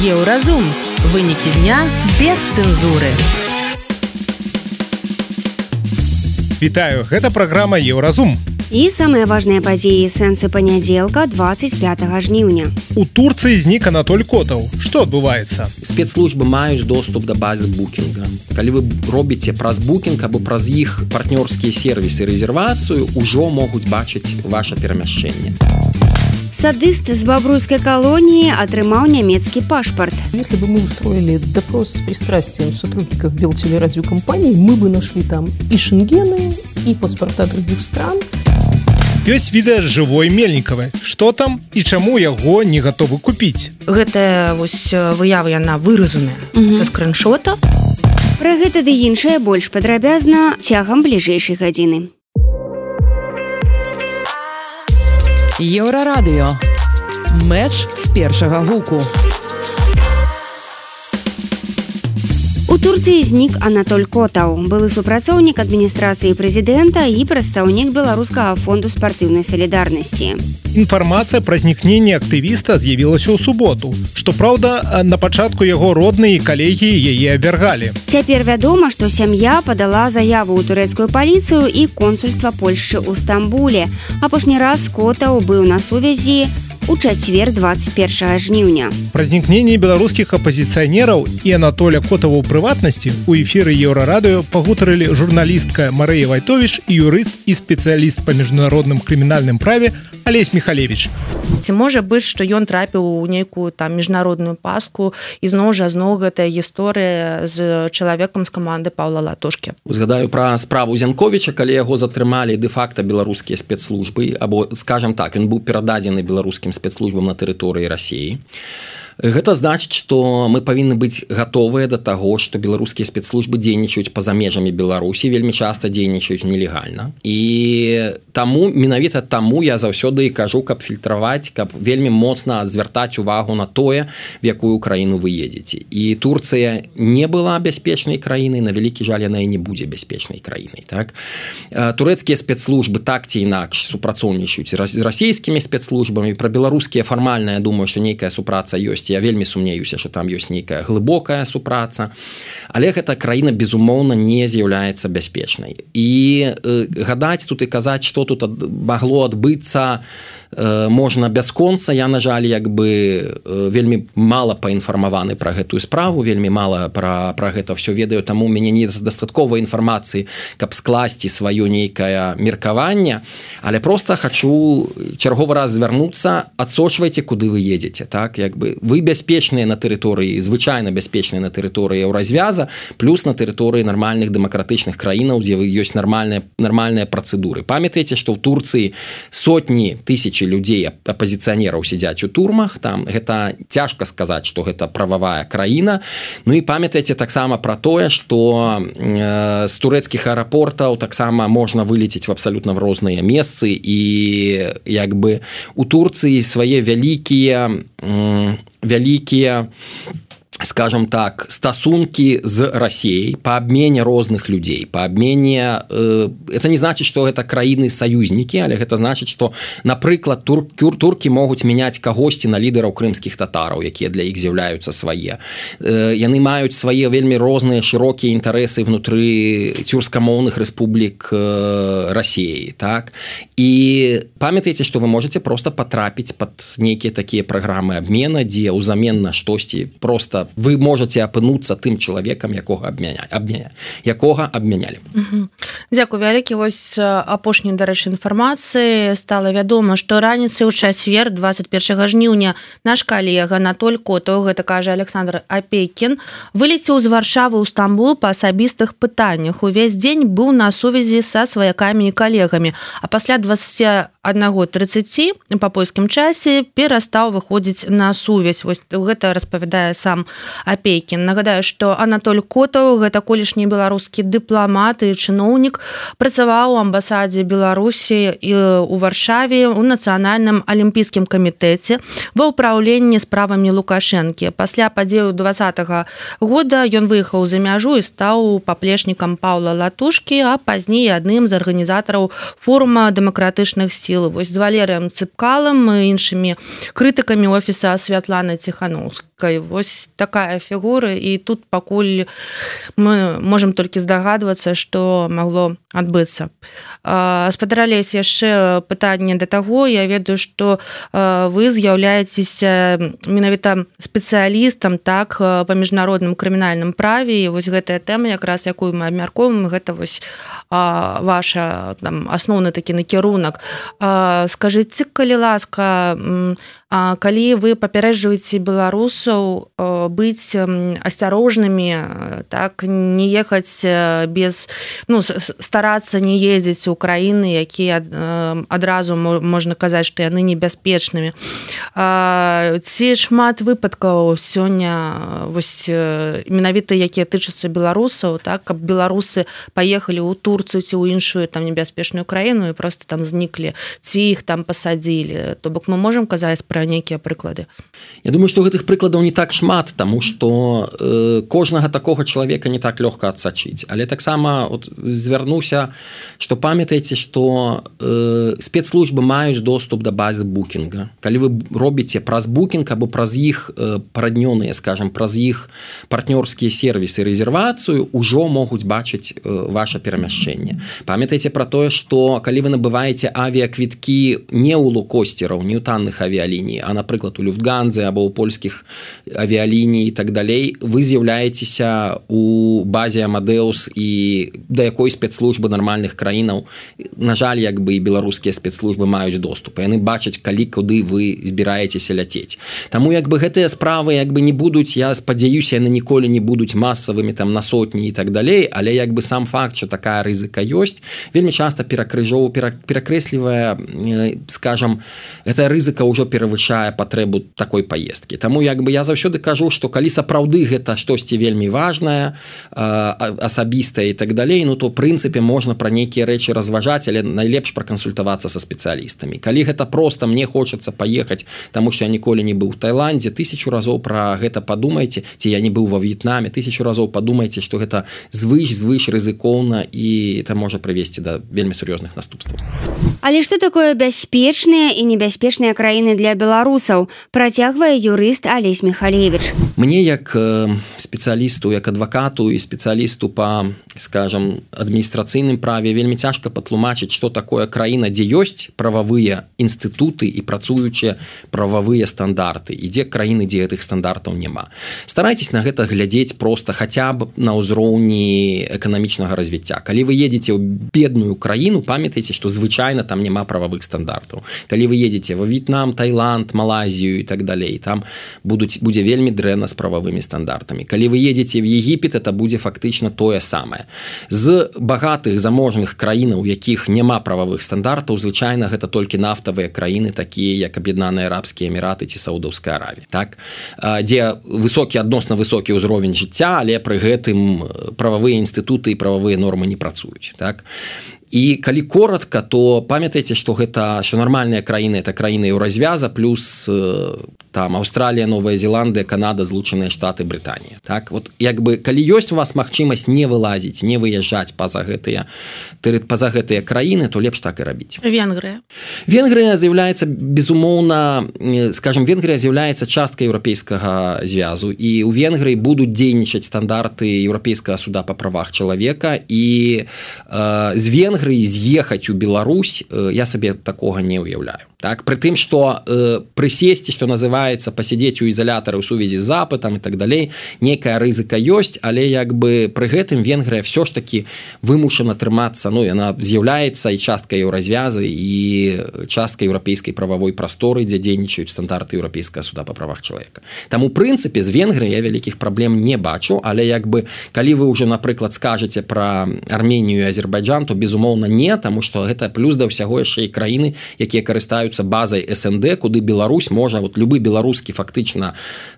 Еўразум. Вынікі дня без цэнзуры. Вітаю, гэта праграма Еўразум. І самыя важныя падзеі сэнсы панядзелка 25 жніўня. У Турцыі знік Анатоль Котаў. Што адбываецца? Спецслужбы маюць доступ да базы букінга. Калі вы робіце праз букінг або праз іх партнёрскія сервісы рэзервацыю, ужо могуць бачыць ваше перамяшчэнне. Садыст з бабруйской колонии отрымал немецкий паспорт. Если бы мы устроили допрос с пристрастием сотрудников Белтелерадиокомпании, мы бы нашли там и шенгены, и паспорта других стран. Ёсць відэа жывой Мельніковай. Што там і чаму яго не гатовы купіць? Гэта вось выява, яна выразаная са скриншота. Пра гэта ды іншае больш падрабязна цягам бліжэйшай гадзіны. Еўрарадыё. Мэч з першага гуку. У Турцыі знік Анатоль Котаў, былы супрацоўнік адміністрацыі прэзідэнта і прадстаўнік Беларускага фонду спартыўнай салідарнасці. Інфармацыя пра знікненне актывіста з'явілася ў суботу. Што праўда, на пачатку яго родныя і калегі яе абвяргалі. Цяпер вядома, што сям'я падала заяву ў турэцкую паліцыю і консульства Польшчы ў Стамбуле. Апошні раз Котаў быў на сувязі у чацвер 21 жніўня. Пра знікненне беларускіх апазіцыянераў і Анатоля Котава ў прыватнасці у эфіры Еўрарадыё пагутарылі журналістка Марыя Вайтовіч і юрыст і спецыяліст па міжнародным крымінальным праве Алесь Михалевич. Ці можа быць, што ён трапіў у нейкую там міжнародную паску і зноў гэтая гісторыя з чалавекам з каманды Паўла Латушкі. Узгадаю пра справу Зянковіча, калі яго затрымалі дэ-факта беларускія спецслужбы, або, скажам так, ён быў перададзены беларускім спецслужбам на тэрыторыі Расіі. Гэта значыць, што мы павінны быць гатовыя да таго, што беларускія спецслужбы дзейнічаюць па-за межамі Беларусі, вельмі часта дзейнічаюць нелегальна. І таму, менавіта таму я заўсёды кажу, каб фільтраваць, каб вельмі моцна звяртаць увагу на тое, в якую краіну вы едзеце. І Турцыя не была бяспечнай краінай, на вялікі жаль, яна і не будзе бяспечнай краінай. Так? Турэцкія спецслужбы так ці інакш супрацоўнічаюць з расійскімі спецслужбамі. Пра беларускія фармальна, я думаю, што нейкая супраца ёсць. Я вельмі сумнеюся, што там ёсць нейкая глыбокая супраца, але гэта краіна, безумоўна, не з'яўляецца бяспечнай. І гадаць тут і казаць, што тут магло адбыцца, можна бясконца. Я, на жаль, вельмі мала паінфармаваны пра гэтую справу, вельмі мала пра гэта ўсё ведаю, таму у мяне не дастаткова інфармацыі, каб скласці сваё нейкае меркаванне, але проста хачу чарговы раз звярнуцца, адсочвайце, куды вы едзеце. Так? Вы бяспечныя на тэрыторыі, звычайна бяспечныя на тэрыторыі Еўразвяза, плюс на тэрыторыі нармальных дэмакратычных краінаў, дзе ёсць нармальныя працэдуры. Памятаеце, што ў Турцыі сотні тысяч людзей, апазіцыянераў сядзяць у турмах, там гэта цяжка сказаць, што гэта прававая краіна. Ну і памятаеце таксама пра тое, што з турэцкіх аэрапортаў таксама можна вылецець в абсалютна в розныя месцы, і у Турцыі свае вялікія, скажем так, стасункі з Расіяй па абмене розных людзей, па абмене, это не значыць, што гэта краіны-саюзнікі, але гэта значыць, што, напрыклад, туркі могуць мяняць кагосьці на лідараў крымскіх татараў, якія для іх з'яўляюцца свае. Яны маюць свае вельмі розныя шырокія інтарэсы внутры цюркамоўных рэспублік Расіі. Так? І памятаеце, што вы можаце проста патрапіць пад нейкія такія праграмы абмена, дзе ўзамен на штосьці проста вы можете апынуцца тым чалавекам, якога абмянялі. Дзякуй вялікі. Вось апошняй, дарэчы, інфармацыі стала вядома, што раніцай у чацвер 21 жніўня наш калега Анатоль Котаў, гэта кажа Александр Апейкін, вылецеў з Варшавы ў Стамбул па асабістых пытаннях. Увесь дзень быў на сувязі са сваякамі і калегамі, а пасля 21:30 па польскім часе перастаў выходзіць на сувязь. Вось гэта распавядае сам Апейкін. Нагадаю, што Анатоль Котаў, гэта колішні беларускі дыпламат і чыноўнік, працаваў у амбасадзе Беларусі у Варшаве у Нацыянальным алімпійскім камітэце ва ўпраўленні справамі Лукашэнкі. Пасля падзеяў 2020 года ён выехаў за мяжу і стаў паплечнікам Паўла Латушкі, а пазней адным з арганізатараў форума дэмакратычных сіл. Вось з Валерыем Цыпкалам і іншымі крытыкамі офіса Святланы Ціханаўскай жорсткай. Вось такая фігура, і тут пакуль мы можам толькі здагадвацца, што магло адбыцца. Спадар Алесь, яшчэ пытанне да таго. Я ведаю, што вы з'яўляецеся менавіта спецыялістам так па міжнародным крымінальным праве, і вось гэтая тэма, якраз якую мы абмяркоўваем, гэта вось ваша асноўны такі накірунак. Скажыце, калі ласка, калі вы папярэджваеце беларусаў быць асцярожнымі, так, не ехаць без, старацца не ездзіць у краіны, якія адразу можна казаць, што яны небяспечнымі. Ці шмат выпадкаў сёння вось менавіта якія тычацца беларусаў, так, каб беларусы паехалі ў Турцыю ці ў іншую там небяспечную краіну і просто там зніклі, ці іх там пасадзілі. То бок мы можам казаць пра нейкія прыклады? Я думаю, што гэтых прыкладаў не так шмат, таму што кожнага такога чалавека не так лёгка адсачыць. Але таксама звярнуся, што памятайце, што спецслужбы маюць доступ да базы букінга. Калі вы робіце праз букінг або праз іх параднёныя, скажам, праз іх партнёрскія сервісы рэзервацыю, ужо могуць бачыць ваша перамяшчэнне. Памятайце пра тое, што калі вы набываеце авіяквіткі не ў лоукостераў, не ў танных авіяліній, а, напрыклад, у Люфтганзе або ў польскіх авіяліній і так далей, вы з'яўляецеся у базе Амадеус, і да якой спецслужбы нармальных краінаў, на жаль, як бы і беларускія спецслужбы маюць доступ. Яны бачаць, калі, куды вы збіраецеся ляцець. Таму як бы гэтыя справы як бы не будуць, я спадзяюся, яны ніколі не будуць масавымі там на сотні і так далей, але як бы сам факт, што такая рызыка ёсць, вельмі часта перакрэслівае, скажам, гэтая рызыка ўжо перавышае патрэбу такой паездкі. Таму як бы я заўсёды кажу, што калі сапраўды гэта штосьці вельмі важнае, асабістае і так далей, то в прынцыпе можна пра нейкія рэчы разважаць, але найлепш пракансультавацца са спецыялістамі. Калі гэта проста мне хочацца паехаць, таму што я ніколі не быў у Таіландзе, 1000 разоў пра гэта падумайце, ці я не быў ва В'етнаме, 1000 разоў падумайце, што гэта звыш рызыкоўна, і это можа прывесці да вельмі сур'ёзных наступстваў. Але што такое бяспечныя і небяспечныя краіны для беларусаў, працягвае юрыст Алесь Михалевич. Мне як спецыялісту, як адвакату і спецыялісту па, скажам, адміністрацыйным праве вельмі цяжка патлумачыць, што такое краіна, дзе ёсць прававыя інстытуты і працуючыя прававыя стандарты, і дзе краіны, дзе гэтых стандартаў няма. Старайцесь на гэта глядзець проста хаця б на ўзроўні эканамічнага развіцця. Калі вы едзеце ў бедную краіну, памятайце, што звычайна там няма прававых стандартаў. Калі вы едзеце ва В'етнам, Таіланд, Малайзію і так далей, там будзе вельмі дрэнна з прававымі стандартамі. Калі вы едзеце в Егіпет, это будзе фактычна тое самае. З багатых заможных краінаў, у якіх няма прававых стандартаў, звычайна гэта толькі нафтавыя краіны, такія як Аб'яднаныя Арабскія Эміраты ці Саудаўская Аравія, так? Дзе адносна высокі ўзровень жыцця, але пры гэтым прававыя інстытуты і прававыя нормы не працуюць, так? І калі коротка, то памятайце, што нармальныя краіны – это краіны Еўразвяза, плюс там Аўстралія, Новая Зеландыя, Канада, Злучаныя Штаты, Брытанія. Так? Вот, як бы, калі ёсць у вас магчымасць не вылазіць, не выязджаць па-за гэтыя краіны, то лепш так і рабіць. Венгрыя. Венгрыя з'яўляецца, безумоўна, скажем, Венгрыя з'яўляецца часткай Еўрапейскага звязу, і ў Венгрыі будуць дзейнічаць стандарты Еўрапейскага суда па правах чалавека, і з Венгрыі з'ехаць у Беларусь я сабе такога не ўяўляю. Так? Пры тым, што прысесці, што называецца, пасядзець у ізалятары ў сувязі з запытам і так далей, нейкая рызыка ёсць, але як бы пры гэтым Венгрыя ўсё ж такі вымушана трымацца, яна з'яўляецца і часткай еўразвязы, і часткай еўрапейскай прававой прасторы, дзе дзейнічаюць стандарты Еўрапейскага суда па правах чалавека. Таму, у прынцыпе, з Венгрыяй я вялікіх праблем не бачу, але як бы, калі вы ўжо, напрыклад, скажаце пра Арменію і Азербайджан, то, безумоўна, не, таму што гэта плюс да ўсяго яшчэ і краіны, якія карыстаюцца базай СНД, куды Беларусь можа, любы беларускі фактычна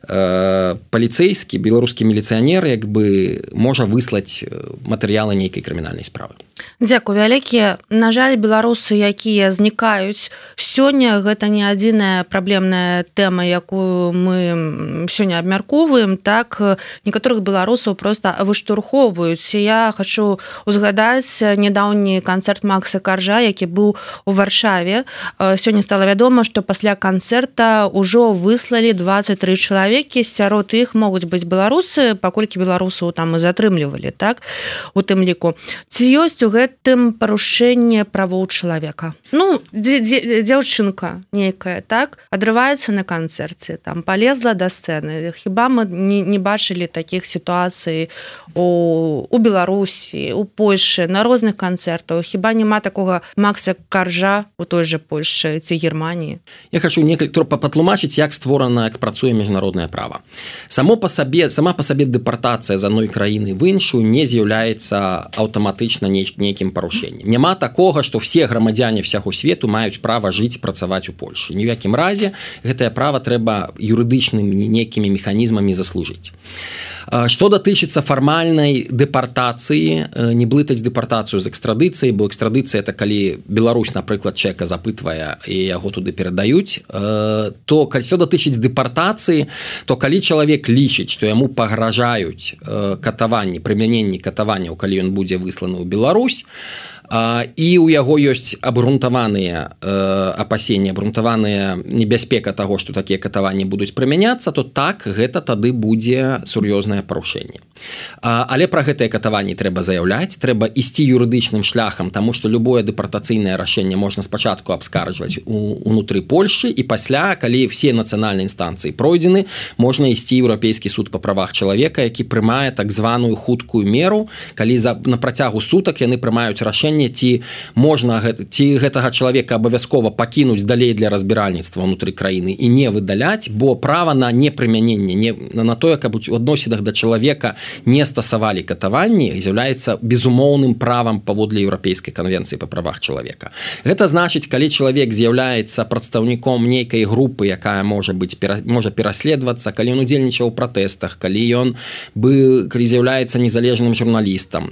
паліцэйскі, беларускі міліцыянер як бы можа выслаць матэрыялы нейкай крымінальнай справы. Дзякуй вялікі. На жаль, беларусы, якія знікаюць сёння, гэта не адзіная праблемная тэма, якую мы сёння абмяркоўваем. Так, некаторых беларусаў проста выштурхоўваюць. Я хочу узгадаць нядаўні канцэрт Макса Каржа, які быў у Варшаве. Сёння стала вядома, што пасля канцэрта ўжо выслалі 23 чалавекі. Сярод іх могуць быць беларусы, паколькі беларусаў там і затрымлівалі, так, у тым ліку. Ці ёсць у гэтым парушэнне правоў чалавека? Ну, дзяўчынка нейкая, так, адрываецца на канцэрце, там полезла да сцэны. Хіба мы не бачылі такіх сітуацый у Беларусі, у Польшы, на розных канцэртах? Хіба няма такога Макса Каржа у той же Польшы ці Германії? Я хочу некалькі патлумачыць, як створана, як працуе міжнароднае права. Сама па сабе дэпартацыя з адной краіны в іншую не з'яўляецца аўтаматычна нейкім парушэннем. Няма такога, што все грамадзяне всяго свету маюць права жыць і працаваць у Польшы. Ні ў якім разе гэтае права трэба юрыдычнымі нейкімі механізмамі заслужыць. Што датычыцца фармальнай дэпартацыі, не блытаць дэпартацыю з экстрадыцыяй, бо экстрадыцыя это калі Беларусь, напрыклад, чэка запытвае і яго туды перадаюць, то што датычыць дэпартацыі, то калі чалавек лічыць, што яму пагражаюць катаванні, прымяненні катаванняў, калі ён будзе высланы ў Беларусь, і ў яго ёсць абгрунтаваныя апасенні, абгрунтаваная небяспека таго, што такія катаванні будуць прымяняцца, то так, гэта тады будзе сур'ёзнае парушэнне. Але пра гэтыя катаванні трэба заяўляць, трэба ісці юрыдычным шляхам, таму што любое дэпартацыйнае рашэнне можна спачатку абскарджваць унутры Польшы, і пасля, калі все нацыянальныя інстанцыі пройдзены, можна ісці ў Еўрапейскі суд па правах чалавека, які прымае так званую хуткую меру, калі на працягу сутак яны прымаюць рашэнне, ці можна гэтага чалавека абавязкова пакінуць далей для разбіральніцтва ўнутры краіны і не выдаляць, бо права на непрымяненне, на тое, каб у адносінах да чалавека не стасавалі катаванні, з'яўляецца безумоўным правам паводле Еўрапейскай канвенцыі па правах чалавека. Гэта значыць, калі чалавек з'яўляецца прадстаўніком нейкай групы, якая можа пераследавацца, калі ён удзельнічаў у пратэстах, калі з'яўляецца незалежным журналістам,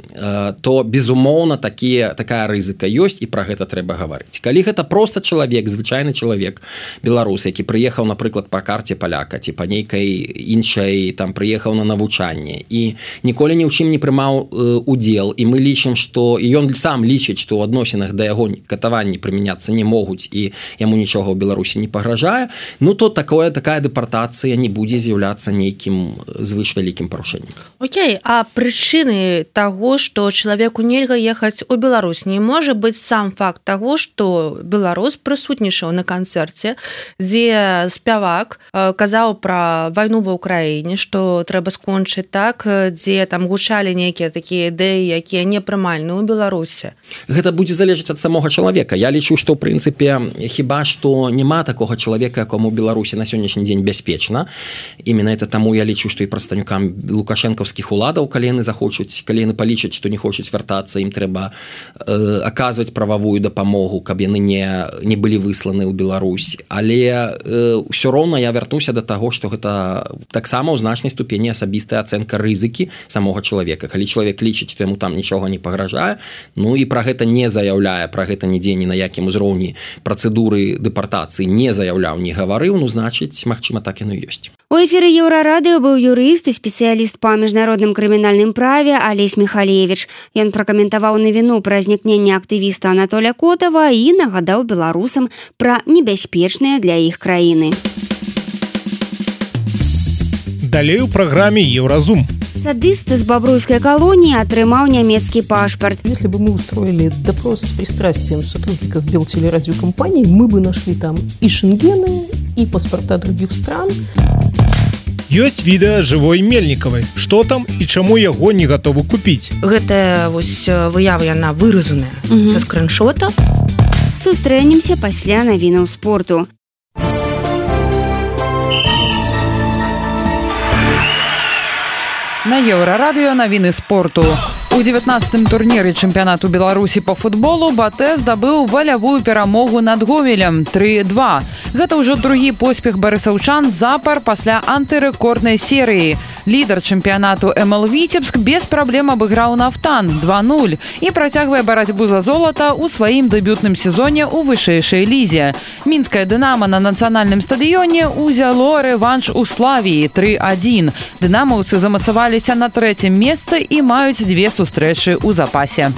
то безумоўна такая рызыка ёсць, і пра гэта трэба гаварыць. Калі гэта проста чалавек, звычайны чалавек, беларус, які прыехаў, напрыклад, па карце паляка, ці па нейкай іншай, там, прыехаў на навучанне, і ніколі ні ў чым не прымаў удзел, і мы лічым, што, і ён сам лічыць, што ў адносінах да яго катаванні прымяняцца не могуць, і яму нічога ў Беларусі не пагражае, ну, то такая дэпартацыя не будзе з'яўляцца нейкім звышвялікім парушэннем. Окей, а прычыны таго, што чалавеку нельга ехаць у Беларусь, не можа быць сам факт таго, што беларус прысутнічаў на канцэрце, дзе спявак казаў пра вайну ва ўкраіне, што трэба скончыць, так, дзе там гучалі нейкія такія ідэі, якія непрымальны ў Беларусі. Гэта будзе залежаць ад самога чалавека. Я лічу, што ў прынцыпе хіба што няма такога чалавека, якому ў Беларусі на сённяшні дзень бяспечна. Именно это таму я лічу, што і прадстаўнікам лукашэнкаўскіх уладаў, калі яны захочуць, калі яны палічаць, што не хочуць вяртацца, ім трэба аказваць прававую дапамогу, каб яны не былі высланы ў Беларусь. Але ўсё роўна я вярнуся да таго, што гэта таксама ў значнай ступені асабістая ацэнка рызыкі самога чалавека. Калі чалавек лічыць, што яму там нічога не пагражае, ну і пра гэта не заяўляе, пра гэта нідзе ні на якім узроўні працэдуры дэпартацыі не заяўляў, не гаварыў, ну, значыць, магчыма, так яно ёсць. У эфіры Еўрарадыё быў юрыст і спецыяліст па міжнародным крымінальным праве Алесь Михалевич. Ён пракаментаваў навіну пра знікненне актывіста Анатоля Котава і нагадаў беларусам пра небяспечныя для іх краіны. Далей у праграме Еўразум. Садыст з бабруйской колонии атрымаў нямецкий пашпорт. Если бы мы устроили допрос с пристрастием сотрудников Белтелерадиокомпании, мы бы нашли там и шенгены, и паспорта других стран. Ёсць відэа жывой Мельнікавай. Што там і чаму яго не гатовы купіць? Гэтая вось выява, яна выразаная са скриншота. Сустрэнемся пасля навінаў спорту. На Еўрарадыё навіны спорту. У 19-м турніры чэмпіянату Беларусі па футболу БАТЭ здабыў валявую перамогу над Гомелем 3-2. Гэта ўжо другі поспех барысаўчан запар пасля антырэкорднай серыі. Лідар чэмпіянату МЛ Віцебск без праблем абыграў Нафтан 2-0 і працягвае барацьбу за золата ў сваім дэбютным сезоне ў вышэйшай лізе. Мінскае Дынама на нацыянальным стадыёне ўзяло рэванш у Славіі 3-1. Дынамаўцы замацаваліся на 3-м месцы і маюць 2 сустрэчы ў запасе.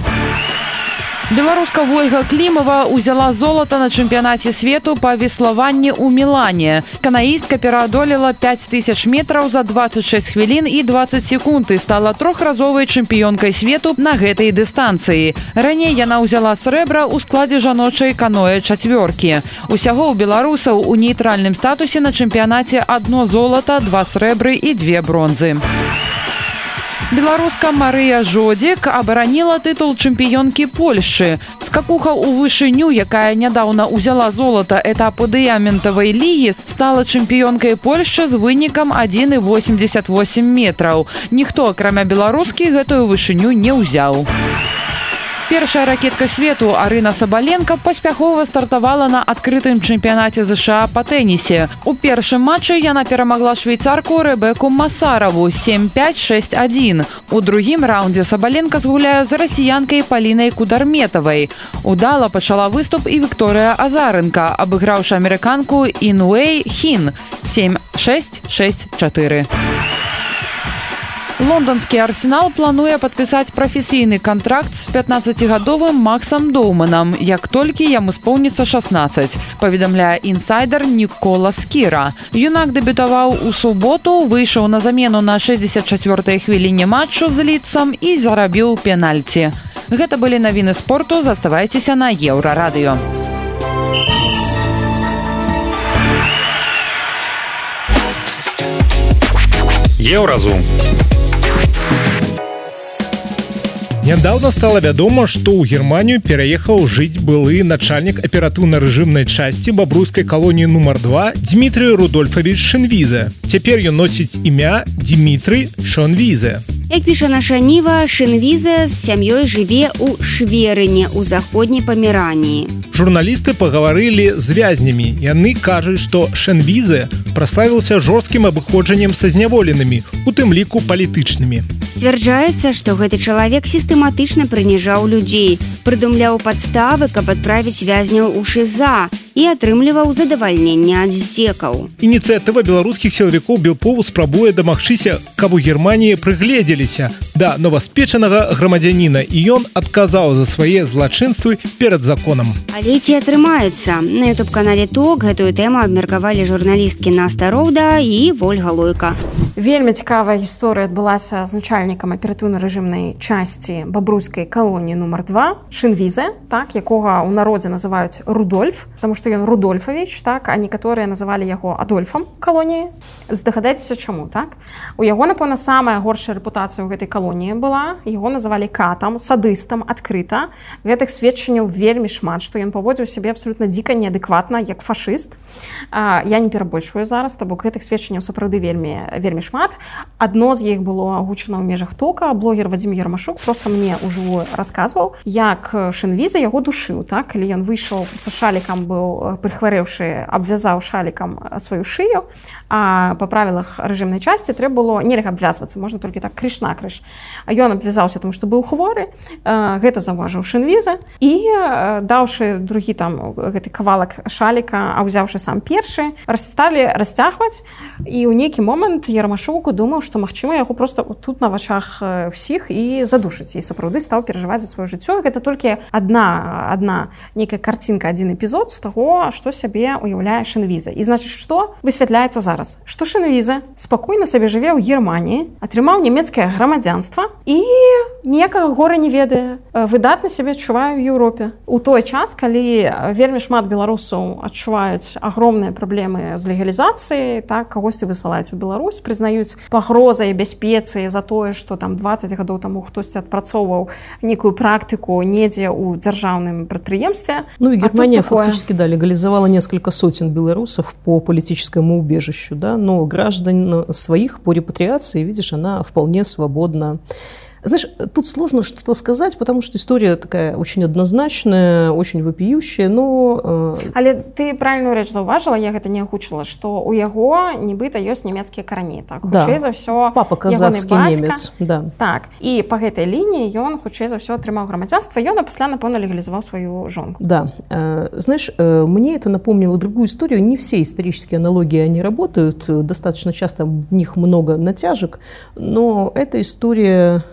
Беларуска Вольга Клімова ўзяла золата на чэмпіянаце свету па веславанні ў Мілане. Канаістка пераадолела 5000 метраў за 26 хвілін і 20 секунд і стала трохразовай чэмпіёнкай свету на гэтай дыстанцыі. Раней яна ўзяла срэбра ў складзе жаночай каноэ чацвёркі. Усяго ў беларусаў у нейтральным статусе на чэмпіянаце 1 золата, 2 срэбры і 2 бронзы. Беларуска Марыя Жодзік абараніла тытул чэмпіёнкі Польшчы. Скакуха ў вышыню, якая нядаўна ўзяла золата этапу дыяментавай лігі, стала чэмпіёнкай Польшчы з вынікам 1,88 метраў. Ніхто, акрамя беларускі, гэтую вышыню не ўзяў. Першая ракетка свету Арына Сабаленка паспяхова стартавала на адкрытым чэмпіянаце ЗША па тэнісе. У першым матчы яна перамагла швейцарку Рэбеку Масараву 7-5-6-1. У другім раўндзе Сабаленка згуляе з расіянкай Палінай Кударметавай. Удала пачала выступ і Вікторыя Азаренка, абыграўшы амерыканку Інуэй Хін 7-6-6-4. Лондонскі Арсенал плануе падпісаць прафесійны кантракт з 15-гадовым Максам Доўманам, як толькі яму споўніцца 16, паведамляе інсайдер Нікола Скіра. Юнак дэбютаваў у суботу, выйшаў на замену на 64-й хвіліне матчу з Лідсам і зарабіў пенальці. Гэта былі навіны спорту, заставайцеся на Еўрарадыё. Еўразум. Нядаўна стала вядома, што ў Германію пераехаў жыць былы начальнік аператыўна-рэжымнай часці бабруйскай калоніі нумар 2 Дмітрый Рудольфович Шенвізе. Цяпер ён носіць імя Дмітрый Шонвізе. Як піша наша Ніва, Шенвізе з сям'ёй жыве ў Шверыне ў заходняй Памераніі. Журналісты пагаварылі з вязнямі. Яны кажуць, што Шенвізе праславіўся жорсткім абыходжаннем са зняволенымі, у тым ліку палітычнымі. Сцвярджаецца, што гэты чалавек сістэматычна прыніжаў людзей, прыдумляў падставы, каб адправіць вязняў у ШІЗА і атрымліваў задавальненне ад здзекаў. Ініцыятыва беларускіх сілавікоў Белпову спрабуе дамагчыся, каб у Германіі прыгледзеліся да новаспечанага грамадзяніна, і ён адказаў за свае злачынствы перад законам. Але ці атрымаецца? На ютуб-канале ТОК гэтую тэму абмеркавалі журналісткі Наста Роўда і Вольга Лойка. Вельмі цікавая гісторыя адбылася з начальнікам аператыўна-рэжымнай часці бабруйскай калоніі нумар 2 Шенвізе, так, якога ў народзе называюць Рудольф, таму што ён Рудольфавіч, так, а некаторыя называлі яго Адольфам калоніі. Здагадайцеся чаму, так? У яго, напэўна, самая горшая рэпутацыя ў гэтай калоніі была. Яго называлі катам, садыстам адкрыта. Гэтых сведчанняў вельмі шмат, што ён паводзіў сябе абсалютна дзіка, неадэкватна, як фашыст. Я не перабольшваю зараз, то бок гэтых сведчанняў сапраўды вельмі шмат. Адно з іх было агучана ў межах ТОКа. Блогер Вадзім Ярмашук проста мне ўжыву расказваў, як Шенвізе яго душыў, так? Калі ён выйшаў, проста шалікам быў прыхварэўшы, абвязаў шалікам сваю шыю, а па правілах рэжымнай часці трэба было нельга абвязвацца, можна толькі так крыш-накрыш. Ён абвязаўся, тому што быў хворы, гэта заўважыў Шенвізе і даўшы другі там гэты кавалак шаліка, а ўзяўшы сам першы, сталі расцягваць, і ў нейкі момант Ярмашук думаў, што магчыма яго проста тут на вачах ўсіх і задушыць, і сапраўды стаў перажываць за сваё жыццё. Гэта толькі адна нейкая карцінка, адзін эпізод з таго, што сябе уяўляе Шенвізе. І значыць, што высвятляецца зараз? Што Шенвізе спакойна сабе жыве ў Германіі, атрымаў нямецкае грамадзянства і ніякага гора не ведае, выдатна сябе адчувае ў Еўропе. У той час, калі вельмі шмат беларусаў адчуваюць агромныя праблемы з легалізацыяй, так, кагосьці высылаюць у Беларусь, прызнаюць пагрозай бяспецы за тое, што там 20 гадоў таму хтосьці адпрацоўваў некую практыку недзе ў дзяржаўным прадпрыемстве. Ну и Германия фактически, да, легализовала несколько сотен белорусов по политическому убежищу, да, но граждан своих по репатриации, видишь, она вполне свободно Знаешь, тут сложно что-то сказать, потому что история такая очень однозначная, очень вопиющая, но... Але ты правильную рэч заўважыла, я гэта не агучыла, што ў яго нібыта ёсць нямецкія карані. Так, хутчэй за ўсё, папа казахскі немец. Да. Так, і па гэтай лініі ён хутчэй за ўсё атрымаў грамадзянства, ён пасля, напэўна, легалізаваў сваю жонку. Да. Знаешь, мне это напомнило другую историю. Не все исторические аналогии, они работают. Достаточно часто в них много натяжек. Но это история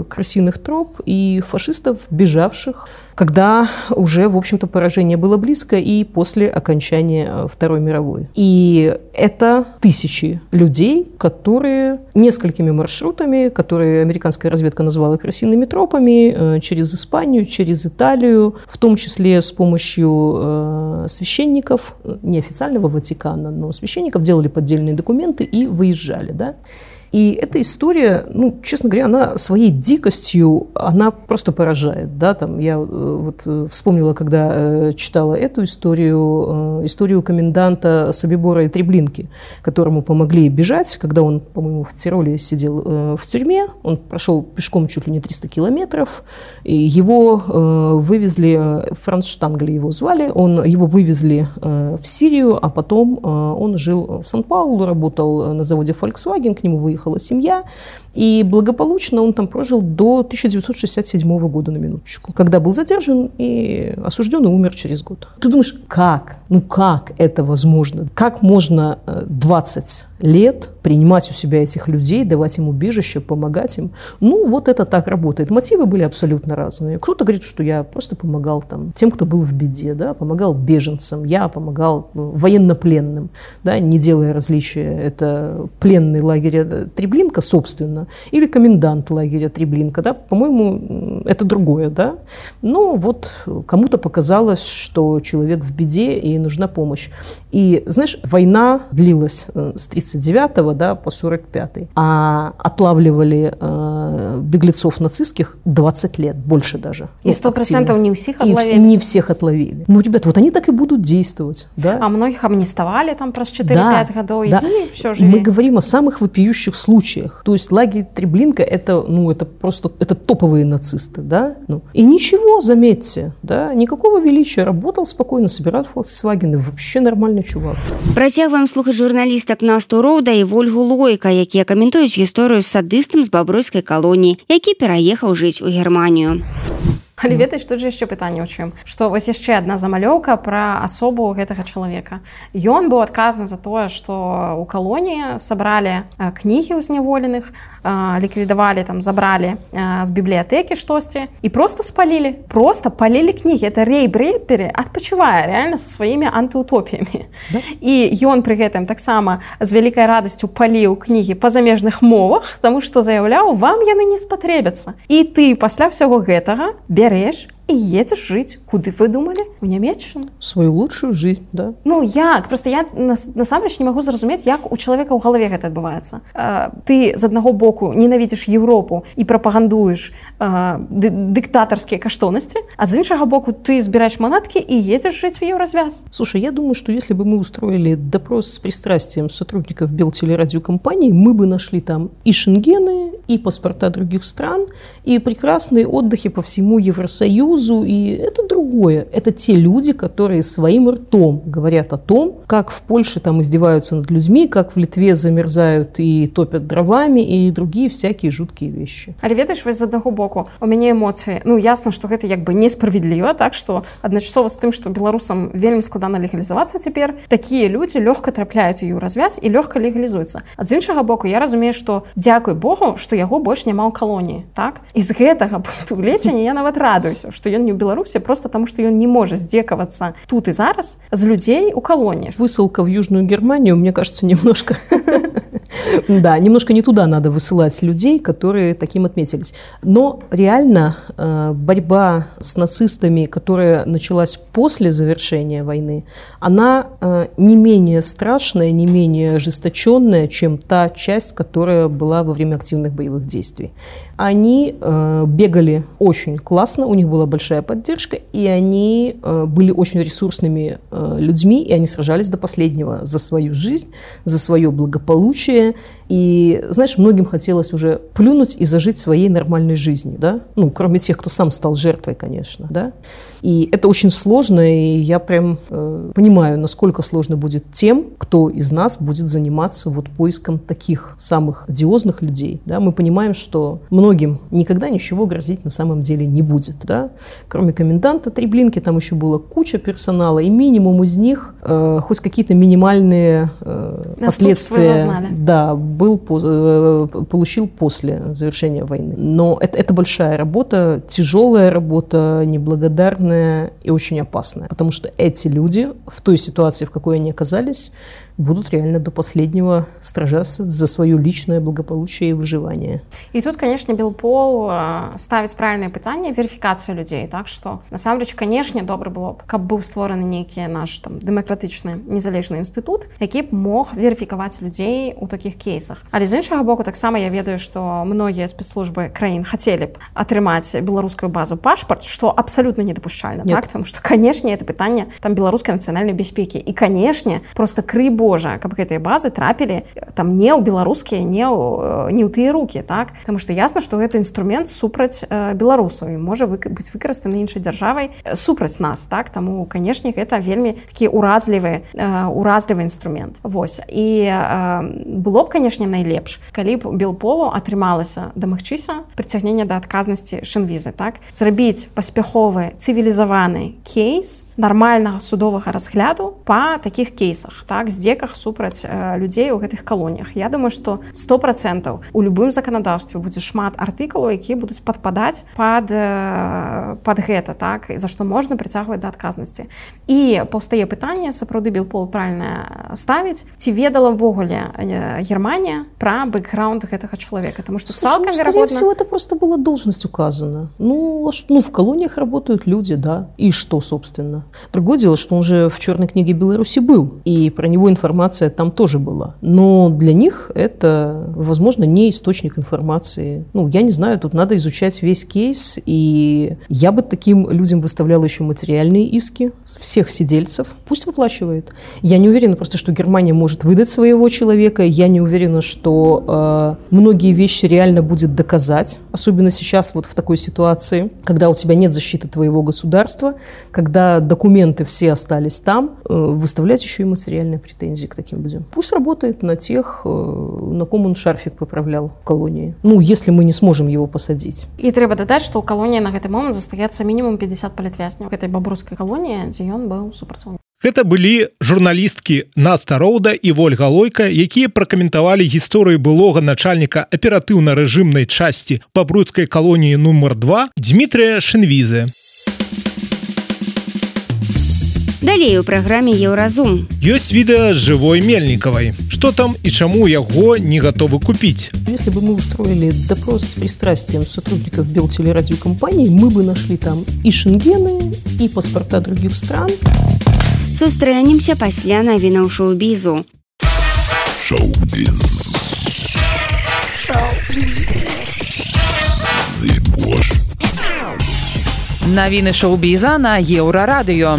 крысиных троп и фашистов, бежавших, когда уже, в общем-то, поражение было близко и после окончания Второй мировой. И это тысячи людей, которые несколькими маршрутами, которые американская разведка назвала крысиными тропами, через Испанию, через Италию, в том числе с помощью священников, неофициального Ватикана, но священников, делали поддельные документы и выезжали, да. И эта история, ну, честно говоря, она своей дикостью, она просто поражает, да, там я вот вспомнила, когда читала эту историю коменданта Собибора и Треблинки, которому помогли бежать, когда он, по-моему, в Тироле сидел в тюрьме, он прошел пешком чуть ли не 300 километров, и его вывезли, Франц Штангли его звали, его вывезли в Сирию, а потом он жил в Сан-Паулу, работал на заводе Volkswagen, к нему выехала семья, и благополучно он там прожил до 1967 года, на минуточку, когда был задержан и осужден и умер через год. Ты думаешь, как? Ну как это возможно? Как можно 20 лет принимать у себя этих людей, давать им убежище, помогать им? Ну вот это так работает. Мотивы были абсолютно разные. Кто-то говорит, что я просто помогал там тем, кто был в беде, да, помогал беженцам, я помогал военнопленным, да, не делая различия, это пленный лагеря Треблинка, собственно, или комендант лагеря Треблинка, да, по-моему, это другое, да. Но вот кому-то показалось, что человек в беде и нужна помощь. И, знаешь, война длилась с 39-го, да, по 45-й, а отлавливали беглецов нацистских 20 лет, больше даже. И 100% не всех отловили. И не всех отловили. Ну, ребята, вот они так и будут действовать, да. А многих амнистовали там просто 4-5 годов, да. Иди, все, живи. Мы говорим о самых вопиющих случаях. То есть лагерь Треблинка это просто это топовые нацисты, да. Ну, и ничего, заметьте, да, никакого величия, работал спокойно, собирал Volkswagen, и вообще нормальный чувак. Працягваем слухаць журналістак Насту Роўда і Вольгу Лойка, якія каментуюць гісторыю з садыстам з бабруйскай калоніі, які пераехаў жыць у Германію. Але ведаеш, тут же яшчэ пытанне ў чым, што вось яшчэ адна замалёўка пра асобу гэтага чалавека. Ён быў адказны за тое, што ў калоніі сабралі кнігі ўзняволеных, ліквідавалі, там, забралі з бібліятэкі штосьці і проста спалілі. Проста палілі кнігі. Это Рэй Брэдбері адпачывае рэальна са сваімі антыутопіямі. Да? І ён пры гэтым таксама з вялікай радасцю паліў кнігі па замежных мовах, таму што заяўляў, вам яны не спатрэбяцца. І ты пасля ўсяго гэтага берешь и едешь жить. Куды вы думали? В Нямецчыну. Свою лучшую жизнь, да. Ну, як? Просто я насамрэч не магу зразумець, як у чалавека ў галаве гэта адбываецца. Ты з аднаго боку ненавідзіш Еўропу і прапагандуеш дыктатарскія каштоўнасці, а з іншага боку ты збіраеш манаткі и едешь жить в Еврозвяз. Слушай, я думаю, что если бы мы устроили допрос с пристрастием сотрудников Белтелерадиокомпании, мы бы нашли там и шенгены, и паспорта других стран, и прекрасные отдыхи по всему Евросоюзу, и это другое. Это те люди, которые своим ртом говорят о том, как в Польше там издеваются над людьми, как в Литве замерзают и топят дровами, и другие всякие жуткие вещи. Але ведаеш, вось з аднаго боку, у мяне эмоцыі, ну, ясна, што гэта як бы несправедліва, так, што адначасова з тым, што беларусам вельмі складана легалізавацца цяпер, такія людзі лёгка трапляюць у Еўразвяз і лёгка легалізуюцца. А з іншага боку, я разумею, што дзякуй Богу, што яго больш няма ў калоніі, так? І з гэтага пункту гледжання я нават радуюся, што ён не ў Беларусі, просто таму, што ён не можа здзекавацца тут і зараз з людзей у калоніі. Высылка в Южную Германию, мне кажется, немножко... Да, немножко не туда надо высылать людей, которые таким отметились. Но реально борьба с нацистами, которая началась после завершения войны, она не менее страшная, не менее ожесточенная, чем та часть, которая была во время активных боевых действий. Они бегали очень классно, у них была большая поддержка, и они были очень ресурсными людьми, и они сражались до последнего за свою жизнь, за свое благополучие. страдания. И, знаешь, многим хотелось уже плюнуть и зажить своей нормальной жизнью, да? Ну, кроме тех, кто сам стал жертвой, конечно, да? И это очень сложно, и я прям понимаю, насколько сложно будет тем, кто из нас будет заниматься вот поиском таких самых одиозных людей, да? Мы понимаем, что многим никогда ничего грозить на самом деле не будет, да? Кроме коменданта Треблинки, там еще была куча персонала, и минимум из них хоть какие-то минимальные последствия, да, получил после завершения войны. Но это большая работа, тяжелая работа, неблагодарная и очень опасная, потому что эти люди в той ситуации, в какой они оказались, будут реально до последнего сражаться за свое личное благополучие и выживание. И тут, конечно, Белпол ставіць правильные пытанні верификации людей, так что насамрэч, конечно, добра было б, каб быў створаны нейкі наш там дэмакратычны незалежны інстытут, які б мог верифікаваць людзей у такіх кейсах. Але з іншага боку, таксама я ведаю, што многія спецслужбы краін хацелі б атрымаць беларускую базу пашпарт, што абсалютна недапушчальна, так? Потому что, конечно, это пытанне там беларускай нацыянальнай бяспекі. І, конечно, просто крый Божа, каб гэтыя базы трапілі там не ў беларускія, не ў тыя рукі, так? Потому что ясна, што гэта інструмент супраць беларусаў і можа быць выкарыстаны іншай дзяржавай супраць нас, так? Таму, конечно, гэта вельмі такі уразлівы інструмент. Вось. І было б, конечно, найлепш, калі б Белполу атрымалася дамагчыся прыцягнення да адказнасці шэнвізы, так? Зрабіць паспяховы цывілізаваны кейс нармальнага судовага разгляду па такіх кейсах, так, здзеках супраць людзей у гэтых калоніях. Я думаю, што 100% у любым заканадаўстве будзе шмат артыкулаў, якія будуць падпадаць пад гэта, так, за што можна прыцягваць да адказнасці. І паўстае пытанне, сапраўды Белпол правільна ставіць, ці ведала ўвогуле Германія пра бэкграунд гэтага чалавека, потому что цалкам верагодна... Скорее всего, это просто была должность указана. Ну, в колониях работают люди, да, и что, собственно? Другое дело, что он же в черной книге Беларуси был, и про него информация там тоже была. Но для них это, возможно, не источник информации. Ну, я не знаю, тут надо изучать весь кейс, и я бы таким людям выставляла еще материальные иски всех сидельцев. Пусть выплачивает. Я не уверена просто, что Германия может выдать своего человека. Я не уверена, что многие вещи реально будет доказать, особенно сейчас вот в такой ситуации, когда у тебя нет защиты твоего государства, когда документы все остались там, выставлять еще и материальные претензии к таким людям. Пусть работает на тех, на ком он шарфик поправлял в колонии. Ну, если мы не сможем его посадить. И трэба дадаць, што ў калоніі на гэты момант застаецца мінімум 50 палітвязняў гэтай бабруйскай калоніі, дзе ён быў супрацоўнікам. Гэта былі журналісткі Наста Роуда і Вольга Лойка, якія пракаментавалі гісторыю былога начальніка аператыўна-рэжымнай часці бабруйскай калоніі нумар 2 Дмітрыя Шэнвізы. Далей у праграме «Еўразум». Ёсць відэа жывой Мельнікавай. Што там і чаму яго не гатовы купіць? Если бы мы устроили допрос с пристрастием сотрудников Белтелерадиокомпании, мы бы нашли там и шенгены, и паспорта других стран. Сустрэнемся пасля навінаў шоу-бізу. Шоу-біз. Навіны шоу-біза на Еўрарадыё.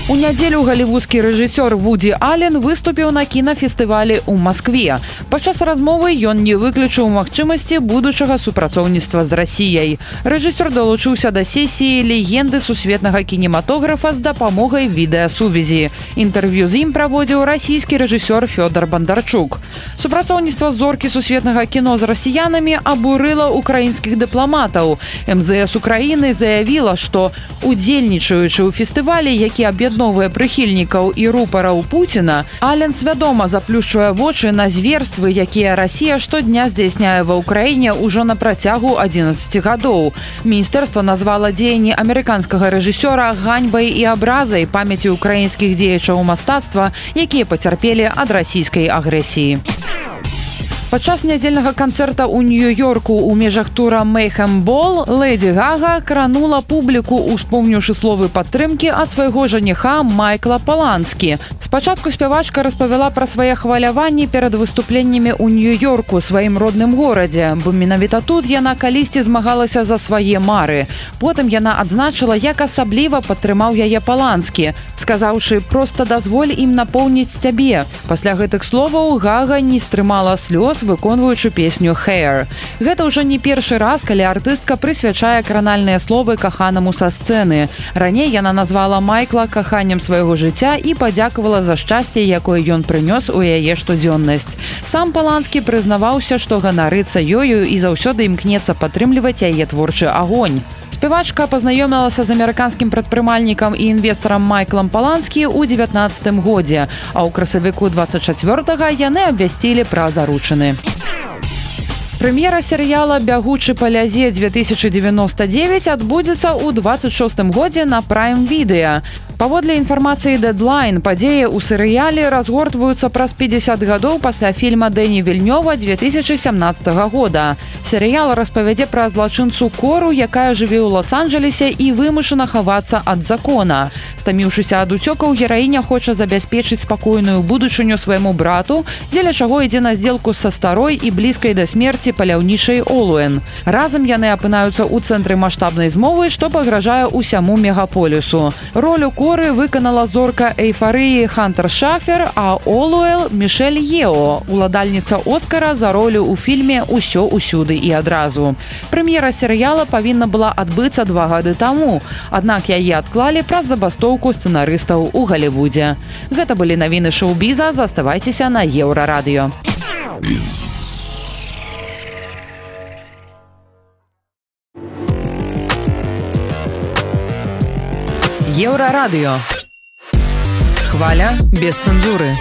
У нядзелю галівудскі рэжысёр Вуді Аллен выступіў на кінафестывалі ў Маскве. Падчас размовы ён не выключыў магчымасці будучага супрацоўніцтва з Расіяй. Рэжысёр далучыўся да сесіі легенды сусветнага кінематографа з дапамогай відэасувязі. Інтэрв'ю з ім праводзіў расійскі рэжысёр Фёдор Бондарчук. Супрацоўніцтва зоркі сусветнага кіно з расіянамі абурыла украінскіх дыпламатаў. МЗС Украіны заявіла, што удзельнічаючы ў фестывалі, які аб'ядноўвае прыхільнікаў і рупараў Пуціна, Аллен свядома заплюшчвае вочы на зверствы, якія Расія штодня здзяйсняе ва ўкраіне ўжо на працягу 11 гадоў. Міністэрства назвала дзеянні амерыканскага рэжысёра ганьбай і абразай памяці ўкраінскіх дзеячаў мастацтва, якія пацярпелі ад расійскай агрэсіі. Падчас нядзельнага канцэрта ў Нью-Йорку ў межах тура Mayhem Ball Лэдзі Гага кранула публіку, успомніўшы словы падтрымкі ад свайго жаніха Майкла Паланскі. Спачатку спявачка распавяла пра свае хваляванні перад выступленнямі ў Нью-Йорку, сваім родным горадзе, бо менавіта тут яна калісьці змагалася за свае мары. Потым яна адзначыла, як асабліва падтрымаў яе Паланскі, сказаўшы: «Проста дазволь ім напоўніць цябе». Пасля гэтых словаў Гага не стрымала слёз, выконваючы песню «Hair». Гэта ўжо не першы раз, калі артыстка прысвячае кранальныя словы каханаму са сцэны. Раней яна назвала Майкла каханнем свайго жыцця і падзякавала за шчасце, якое ён прынёс у яе штодзённасць. Сам Паланскі прызнаваўся, што ганарыцца ёю і заўсёды імкнецца падтрымліваць яе творчы агонь. Спявачка пазнаёмілася з амерыканскім прадпрымальнікам і інвестарам Майклам Паланскі ў 19 годзе, а ў красавіку 24-га яны абвясцілі пра заручыны. Прэм'ера серыяла «Бягучы па лязе» 2099 адбудзецца ў 26 годзе на Prime Video. Паводле інфармацыі Deadline, падзеі ў серыяле разгортваюцца праз 50 гадоў пасля фільма Дэні Вільнёва 2017 года. Серыял распавядзе пра злачынцу Кору, якая жыве ў Лос-Анджелесе і вымушана хавацца ад закона. Стаміўшыся ад уцёкаў, гераіня хоча забяспечыць спакойную будучыню свайму брату, дзеля чаго ідзе на здзелку са старой і блізкай да смерці паляўнічай Олуэн. Разам яны апынаюцца ў цэнтры маштабнай змовы, што пагражае ўсяму мегаполісу. Ролю Коры выканала зорка эйфарыі Хантер Шафер, а Олуэл Мішэль Ео, уладальніца Оскара за ролю ў фільме «Усё усюды і адразу». Прэм'ера серыяла павінна была адбыцца 2 гады таму, аднак яе адклалі праз забастоўку сцэнарыстаў у Галівудзе. Гэта былі навіны шоу-біза, заставайцеся на Еўрарадыё. Еўрарадыё. Хваля без цэнзуры.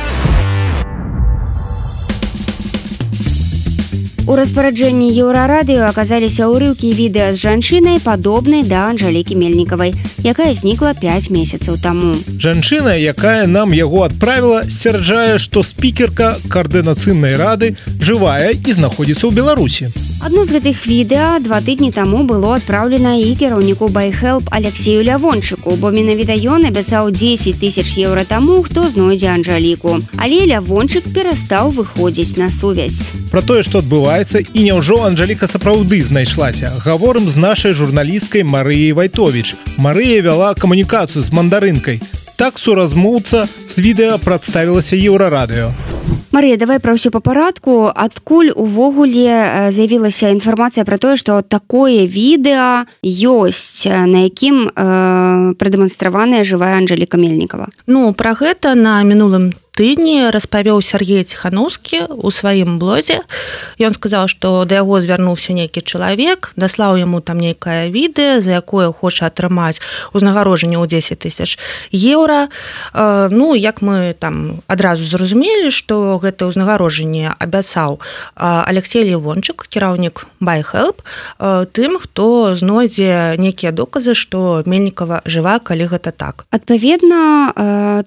У распараджэнні Еўрарадыё аказаліся ўрыўкі відэа з жанчынай, падобнай да Анжалікі Мельнікавай, якая знікла 5 месяцаў таму. Жанчына, якая нам яго адправіла, сцвярджае, што спікерка каардынацыйнай рады жывая і знаходзіцца ў Беларусі. Адно з гэтых відэа 2 тыдні таму было адпраўлена і кіраўніку ByHelp Алексею Лявончыку, бо менавіта ён абяцаў 10 000 еўра таму, хто знойдзе Анжаліку. Але Лявончык перастаў выходзіць на сувязь. Пра тое, што адбываецца і няўжо Анжаліка сапраўды знайшлася, гаворым з нашай журналісткай Марыяй Вайтовіч. Марыя вяла камунікацыю з мандарынкай. Так суразмоўца з відэа прадставілася Еўрарадыё. Марыя, давай пра ўсё па парадку. Адкуль увогуле з'явілася інфармацыя пра тое, што такое відэа ёсць, на якім прадэманстраваная жывая Анжаліка Мельнікава? Ну, пра гэта на мінулым тыдні распавёў Сергей Ціханаўскі ў сваім блозе. Ён сказаў, што да яго звярнуўся нейкі чалавек, даслаў яму там нейкае відэа, за якое хоча атрымаць узнагароджанне ў 10 000 еўра. Ну, як мы там адразу зразумелі, што гэта ўзнагароджанне абяцаў Алексей Лявончык, кіраўнік ByHelp, тым, хто знойдзе нейкія доказы, што Мельнікава жыва, калі гэта так. Адпаведна,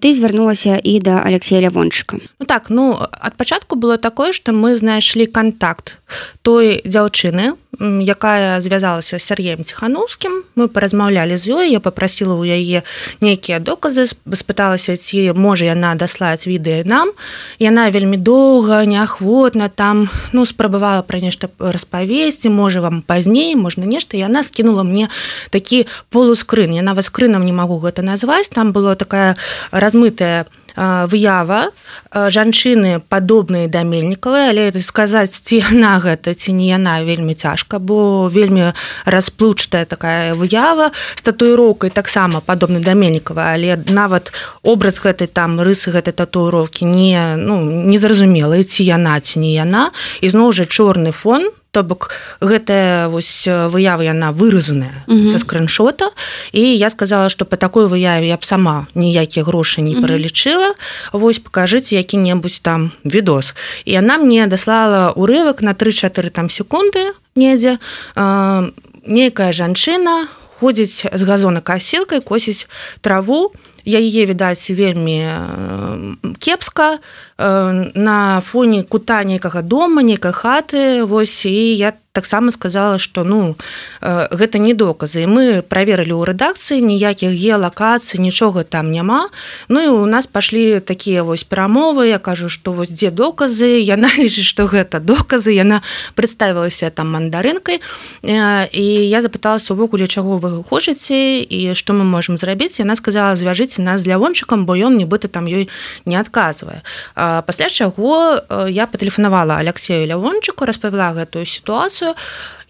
ты звярнулася і да Алексея Лявончыка. Ну так, ад пачатку было такое, што мы знайшлі контакт той дзяўчыны, якая звязалася з Сергеем Ціханаўскім. Мы паразмаўлялі з ёй, я папрасіла ў яе нейкія доказы, спыталася, ці можа яна даслаць відэа нам. Яна вельмі доўга, неахвотна там, спрабавала пра нешта распавесці, можа вам пазней, можна нешта. І яна скінула мне такі полускрын. Я нават скрынам не магу гэта назваць. Там была такая размытая выява жанчыны падобнай да Мельнікавай, але сказаць, ці яна гэта, ці не яна, вельмі цяжка, бо вельмі расплыўчатая такая выява з татуіроўкай таксама падобнай да Мельнікавай, але нават образ гэтай там рысы гэтай татуіроўкі не зразумела, ці яна, ці не яна. І зноў жа чорны фон, то бок гэтая выява, яна выразаная са скриншота, і я сказала, што па такой выяве я б сама ніякія грошы не пералічыла, пакажыце які-небудзь там відос. І яна мне даслала урывак на 3-4 там секунды недзе. Нейкая жанчына ходзіць з газонакасілкай, косіць траву, яе відаць вельмі кепска на фоне кута нейкага дома, нейкай хаты, вось, і я таксама сказала, што гэта не доказы. Мы праверылі ў рэдакцыі, ніякіх геалакацый, нічога там няма. Ну і у нас пашлі такія вось перамовы, я кажу, што вось дзе доказы, яна лічыць, што гэта доказы, яна прадставілася там мандарынкай, і я запыталася увогуле, чаго вы хочаце і што мы можам зрабіць. Яна сказала, звяжыце нас з Лявончыкам, бо ён нібыта там ёй не адказвае. Пасля чаго я патэлефанавала Алексею Лявончыку, распавяла гэтую сітуацыю.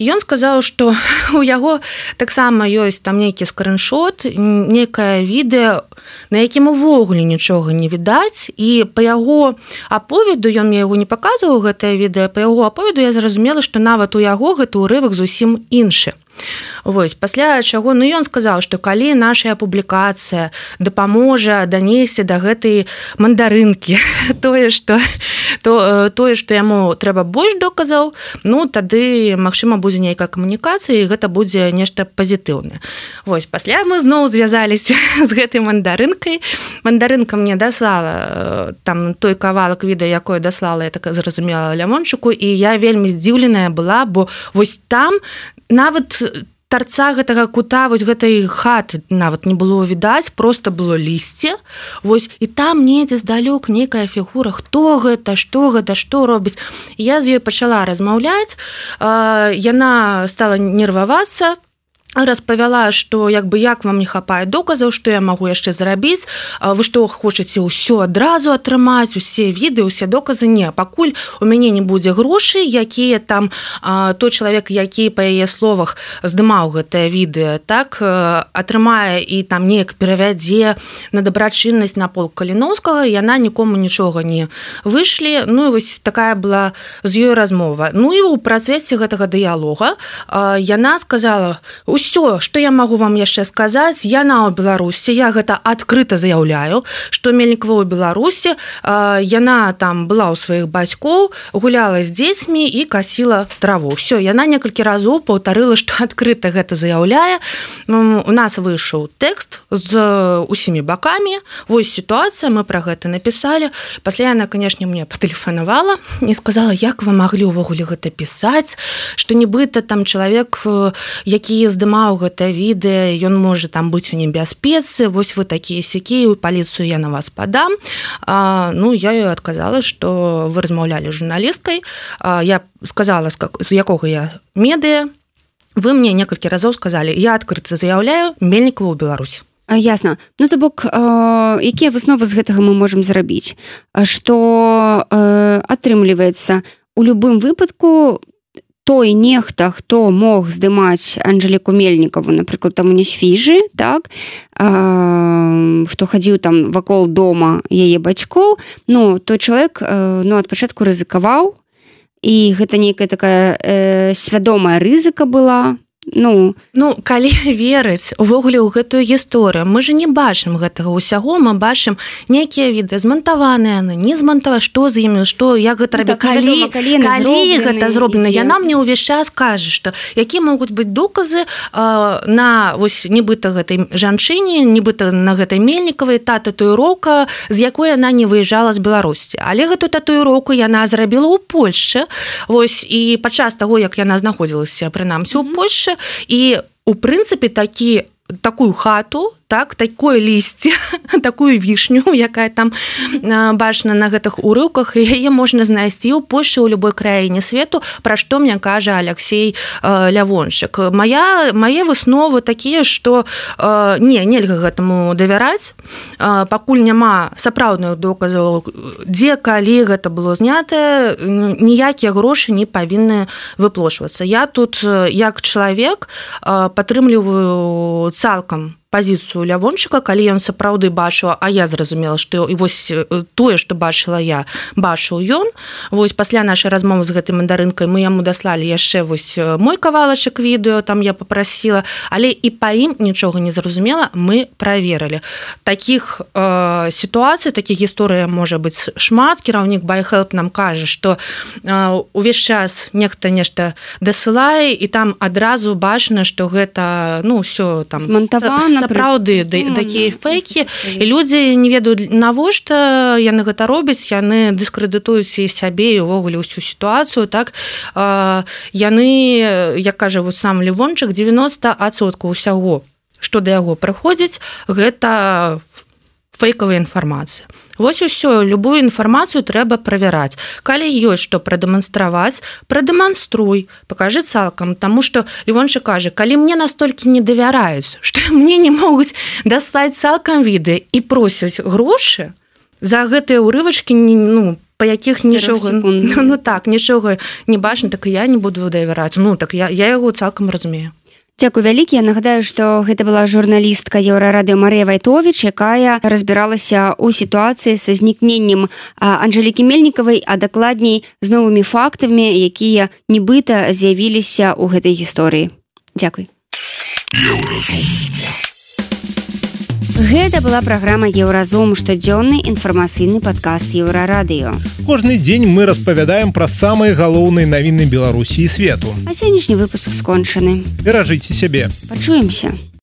Ён сказаў, што у яго таксама ёсць там нейкі скриншот, нейкае відэо, на якім увогуле нічога не відаць, і па яго аповеду, ён мне яго не паказваў, гэтае відэо, па яго аповеду я зразумела, што нават у яго гэты ўрывак зусім іншы. Вось, пасля чаго, ён сказаў, што калі наша публікацыя дапаможа данесці да гэтай мандарынкі тое, што яму трэба больш доказаў, тады, магчыма, будзе нейкая камунікацыя, і гэта будзе нешта пазітыўнае. Вось, пасля мы зноў звязаліся з гэтай мандарынкай. Мандарынка мне даслала там той кавалак відэа, якое даслала, я так зразумела, Лявончыку, і я вельмі здзіўленая была, бо вось там нават тарца гэтага кута, вось гэтай хаты нават не было відаць, просто было лісце. Вось, і там недзе здалёк нейкая фігура, хто гэта, што робіць. Я з ёй пачала размаўляць, яна стала нервавацца, распавяла, што як вам не хапае доказаў, што я магу яшчэ зрабіць, вы што хочаце ўсё адразу атрымаць, усе відэо, усе доказы? Не, пакуль у мяне не будзе грошай, якія там той чалавек, які па яе словах здымаў гэтае відэо, так, атрымае і там неяк перавядзе на дабрачыннасць на полк Каліноўскага, яна нікому нічога не вышлі. І вось такая была з ёй размова. І ў працэсе гэтага дыялога яна сказала: «Усё, што я магу вам яшчэ сказаць, яна ў Беларусі, я гэта адкрыта заяўляю, што Мельнікова ў Беларусі, яна там была ў сваіх бацькоў, гуляла з дзецьмі і касіла траву». Всё, яна некалькі разоў паўтарыла, што адкрыта гэта заяўляе. У нас выйшаў тэкст з усімі бакамі, вось сітуацыя, мы пра гэта напісалі. Пасля яна, канешне, мне патэлефанавала і сказала: «Як вы маглі ўвогуле гэта пісаць, што нібыта там чалавек, які здымаў гэта відэа, ён можа там быць у небяспецы, вось вы такія сякія, у паліцыю я на вас падам». Я ёй адказала, што вы размаўлялі з журналісткай, я сказала, з якога я медыа, вы мне некалькі разоў сказалі: «Я адкрыта заяўляю Мельнікова ў Беларусі». Ясна. То бок, якія высновы з гэтага мы можам зрабіць? Што атрымліваецца, у любым выпадку той нехта, хто мог здымаць Анжэліку Мельнікаву, напрыклад, там у Несвіжы, так, хто хадзіў там вакол дома яе бацькоў, той чалавек ад пачатку рызыкаваў, і гэта нейкая такая свядомая рызыка была. Калі верыць увогуле ў гэтую гісторыю, мы ж не бачым гэтага ўсяго, мы бачым нейкія відэа, змантаваныя, не змантаваныя, што з імі, як гэта рабіць, калі гэта зроблена. Яна мне ўвесь час кажа, што якія могуць быць доказы на вось нібыта гэтай жанчыне, нібыта на гэтай Мельнікавай, та татуіроўка, з якой яна не выязджала з Беларусі. Але гэту татуіроўку яна зрабіла ў Польшчы. Вось, і падчас таго, як яна знаходзілася прынамсі ў Польшчы, і у прынцыпе такую хату, так, такое лісце, такую вішню, якая там бачна на гэтых урыўках, яе можна знайсці ў Польшчы, ў любой краіне свету, пра што мне кажа Алексей Лявончык. Мае высновы такія, што нельга гэтаму давяраць, пакуль няма сапраўдных доказаў, дзе, калі гэта было знятае, ніякія грошы не павінны выплошвацца. Я тут, як чалавек, падтрымліваю цалкам пазіцыю Лявончыка, калі ён сапраўды бачыў, а я зразумела, што і вось тое, што бачыла я, бачыў ён. Вось пасля нашай размовы з гэтай мандарынкай мы яму даслалі яшчэ вось мой кавалачак відэо, там я папрасіла, але і па ім нічога не зразумела, мы праверылі. Такіх сітуацый, такіх гісторый можа быць шмат. Кіраўнік BuyHelp нам кажа, што увесь час нехта нешта дасылае, і там адразу бачна, што гэта, ўсё там змантавана, сапраўды такія фейкі, і людзі не ведаюць, навошта яны гэта робяць, яны дыскрэдытуюць і сябе, і ўвогуле ўсю сітуацыю, так? Яны, як кажа сам Левончык, 90% ўсяго, што да яго прыходзіць, гэта фейкавая інфармацыя. Вось усё, любую інфармацыю трэба правяраць. Калі ёсць што прадэманстраваць, прадэманструй, пакажы цалкам, таму што Левончык кажа, калі мне настолькі не давяраюць, што мне не могуць дастаць цалкам відэа і просяць грошы за гэтыя ўрывачкі, па якіх нічога, нічога не бачна, так і я не буду давяраць. Так я яго цалкам разумею. Дзякуй вялікі. Я нагадаю, што гэта была журналістка Еўрарадыё Марыя Вайтовіч, якая разбіралася ў сітуацыі са знікненнем Анжэлікі Мельнікавай, а дакладней з новымі фактамі, якія нібыта з'явіліся ў гэтай гісторыі. Дзякуй. Гэта была праграма «Еўразум», штодзённы інфармацыйны падкаст Еўрарадыё. Кожны дзень мы распавядаем пра самыя галоўныя навіны Беларусі і свету. А сённяшні выпуск скончаны. Беражыце сябе. Пачуемся.